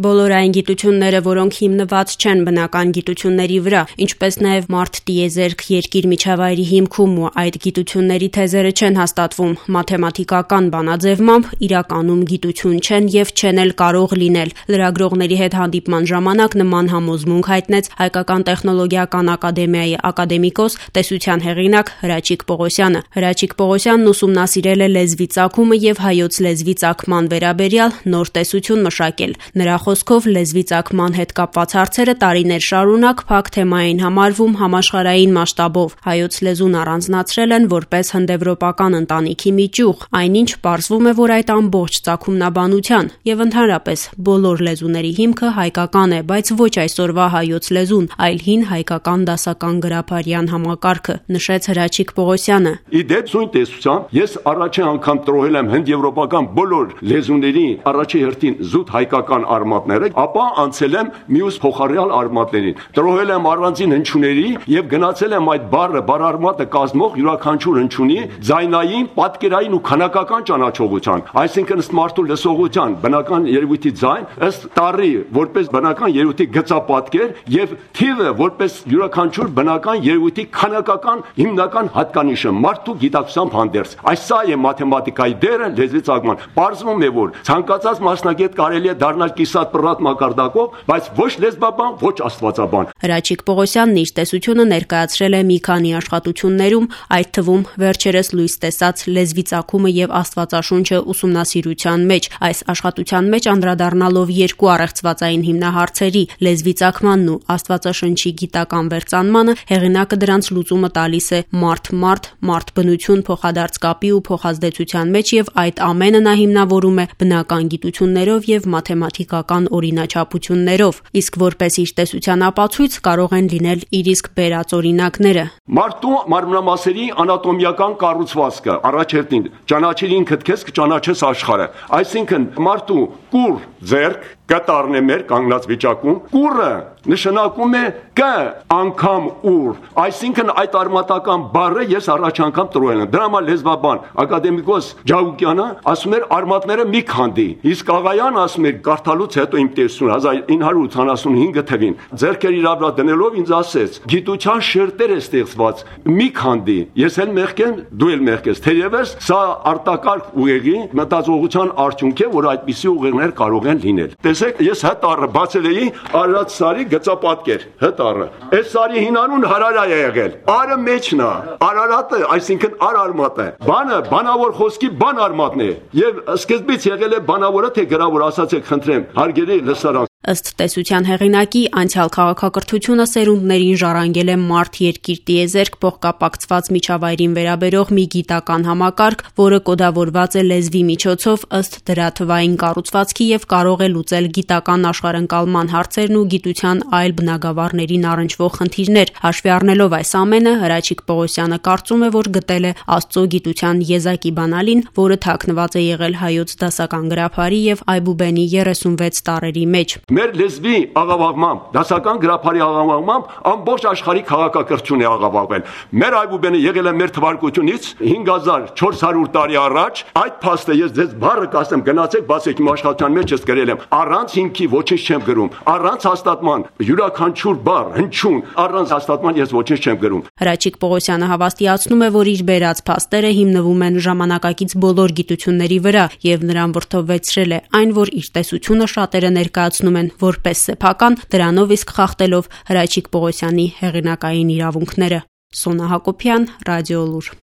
Բոլոր այն գիտությունները, որոնք հիմնված չեն բնական գիտությունների վրա, ինչպես նաև մարդ տիեզերք երկիր միջավայրի հիմքում ու այդ գիտությունների թեզերը չեն հաստատվում մաթեմատիկական բանաձևմամբ, իրականում գիտություն չեն եւ չեն էլ կարող լինել։ Լրագրողների հետ հանդիպման ժամանակ նման համոզմունք հայտնեց Հայկական տեխնոլոգիական ակադեմիայի ակադեմիկոս, տեսության հեղինակ Հրաչիկ Պողոսյանը։ Հրաչիկ Պողոսյանն ուսումնասիրել է լեզվի ծագումը եւ հայոց լեզվի ծագման վերաբերյալ նոր տեսություն մշակել։ Նրա խոսքով լեզվի ծագման հետ կապված հարցերը տարիներ շարունակ փակ թեմա էին համարվում համաշխարհային մասշտաբով։ Հայոց լեզուն առանձնացրել են որպես հնդեվրոպական ընտանիքի մի ճյուղ, այնինչ պարզվում է, որ այդ ամբողջ ծագումնաբանության եւ ընդհանրապես բոլոր լեզուների հիմքը հայկական է, բայց ոչ այսօրվա հայոց լեզուն, այլ հին հայկական դասական գրաբարյան համակարգը, նշեց Հրաչիկ Պողոսյանը։ Իդեպ զույն տեսությամբ ես առաջին անգամ տրոհել եմ հնդեվրոպական բոլոր լեզուների առաջի հերթին զուտ հայկական արմատները, ապա անցել եմ մյուս փոխարյալ արմատներին։ Տրոհել եմ առանձին հնչյունների եւ գնացել եմ այդ բառարմատը կազմող յուրաքանչյուր հնչյունի ձայնային, պատկերային ու քանակական ճանաչողության, այսինքն ըստ մարդու լսողության բնական երևույթի ձայն, ըստ տառի որպես բնական երևույթի գծապատկեր եւ թիվը որպես յուրաքանչյուր բնական երևույթի քանակական հիմնական հատկանիշը մարդու գիտակցությամբ հանդերձ։ Այս սա է մաթեմատիկայի դերը լեզվի ծագման։ Պարզվում է, որ ցանկացած մասնագետ կարելի է դառնալ կիսատ պռատ մակարդակով, բայց ոչ լեզվաբան, ոչ աստվածաբան։ Հրաչիկ Պողոսյանն իր տեսությունը ներկայացրել է մի քանի աշխատություններում, այդ թվում վերջերս լույս տեսած լեզվի ծագումը եւ աստվածաշունչը ուսումնասիրության մեջ։ Այս աշխատության մեջ անդրադառնալով երկու առեղծվածային հիմնահարցերի՝ լեզվի ծագմանն ու աստվածաշնչի գիտական վերծանմանը, հեղինակը դրանց լուծումը տալիս է մարդ-բնություն փոխադարձ կապի ու փոխազդեցության մեջ եւ այդ ամենը նա հիմնավորում է բնական գիտություններով եւ մաթեմատիկական օրինաչափություններով, իսկ որպես իր տեսության ապացույց կարող են լինել իր իսկ բերած օրինակները։ Մարդու մարմնամասերի անատոմիական կառուցվածքը առաջերտին ճանաչիր ինքդ քեզ կճանաչես աշխարհը, այսինքն մարդու կուռ ձեռք կտառն է մեր կանգնած վիճակում, կուռը նշանակում է կ անգամ ուր, այսինքն այդ արմատական բառը ես առաջ անգամ տրոհել եմ։ Դրա համար լեզվաբան ակադեմիկոս Ջավուկյանը ասում էր արմատները մի քանդի, իսկ Աղայանը ասում էր կարդալուց հետո իմ տեսությունը 1985 թվին ձեռքեր իր վրա դնելով ինձ ասեց. գիտության շերտեր է ստեղծված, մի քանդի, ես էլ մեղք եմ, դու էլ մեղք ես, թերևս սա արտակարգ ուղեղի մտածողության արդյունք է, որ այդպիսի ուղեղներ կարող են լինել։ Տեսեք, ես հտառը բացել էի Արարատ սարի գծապատկեր, հտառը։ Այս սարի հինանուն Հարարայ է եղել։ Արը մեջն է, Արարատը, այսինքն արմատը։ Բանը բանավոր խոսքի բան արմատն է։ Եվ սկզբից եղել է բանավորը թե գրավոր, ասացեք խնդրեմ, հարգելի լսարան։ Ըստ տեսության հեղինակի, անցյալ քաղաքակրթությունը սերունդներին ժառանգել է մարդ-երկիր տիեզերք փոխկապակցված միջավայրին վերաբերող մի գիտական համակարգ, որը կոդավորված է լեզվի միջոցով ըստ դրա թվային կառուցվածքի եւ կարող է լուծել գիտական աշխարհընկալման հարցերն ու գիտության այլ բնագավառներին առնչվող խնդիրներ։ Հաշվի առնելով այս ամենը, Հրաչիկ Պողոսյանը կարծում է, որ գտել է Աստծո գիտության եզակի բանալին, որը թաքնված է եղել հայոց դասական գրաբարի եւ Այբուբենի 36 տառերի մեջ։ Մեր լեզվի աղավաղմամբ, դասական գրաբարի աղավաղմամբ ամբողջ աշխարհի քաղաքակրթություն է աղավաղվել։ Մեր Այբուբենը եղել է մեր թվարկությունից 5400 տարի առաջ։ Այդ փաստը ես ձեզ բառը կասեմ, գնացեք, բացեք իմ աշխատության մեջ ես գրել եմ։ Առանց հիմքի ոչինչ չեմ գրում։ Առանց հաստատման յուրաքանչյուր բառ, հնչյուն, առանց հաստատման ես ոչինչ չեմ գրում։ Հրաչիկ Պողոսյանը հավաստիացնում է, որ իր բերած փաստերը հիմնվում են ժամանակակից բոլոր գիտությունների վրա եւ նրան վրդովվեցրել է այն, որ իր տեսությունը շատերը ներկայացնում են որպես սեփական, դրանով իսկ խախտելով Հրաչիկ Պողոսյանի հեղինակային իրավունքները։ Սոնա Հակոբյան, Ռադիոլուր։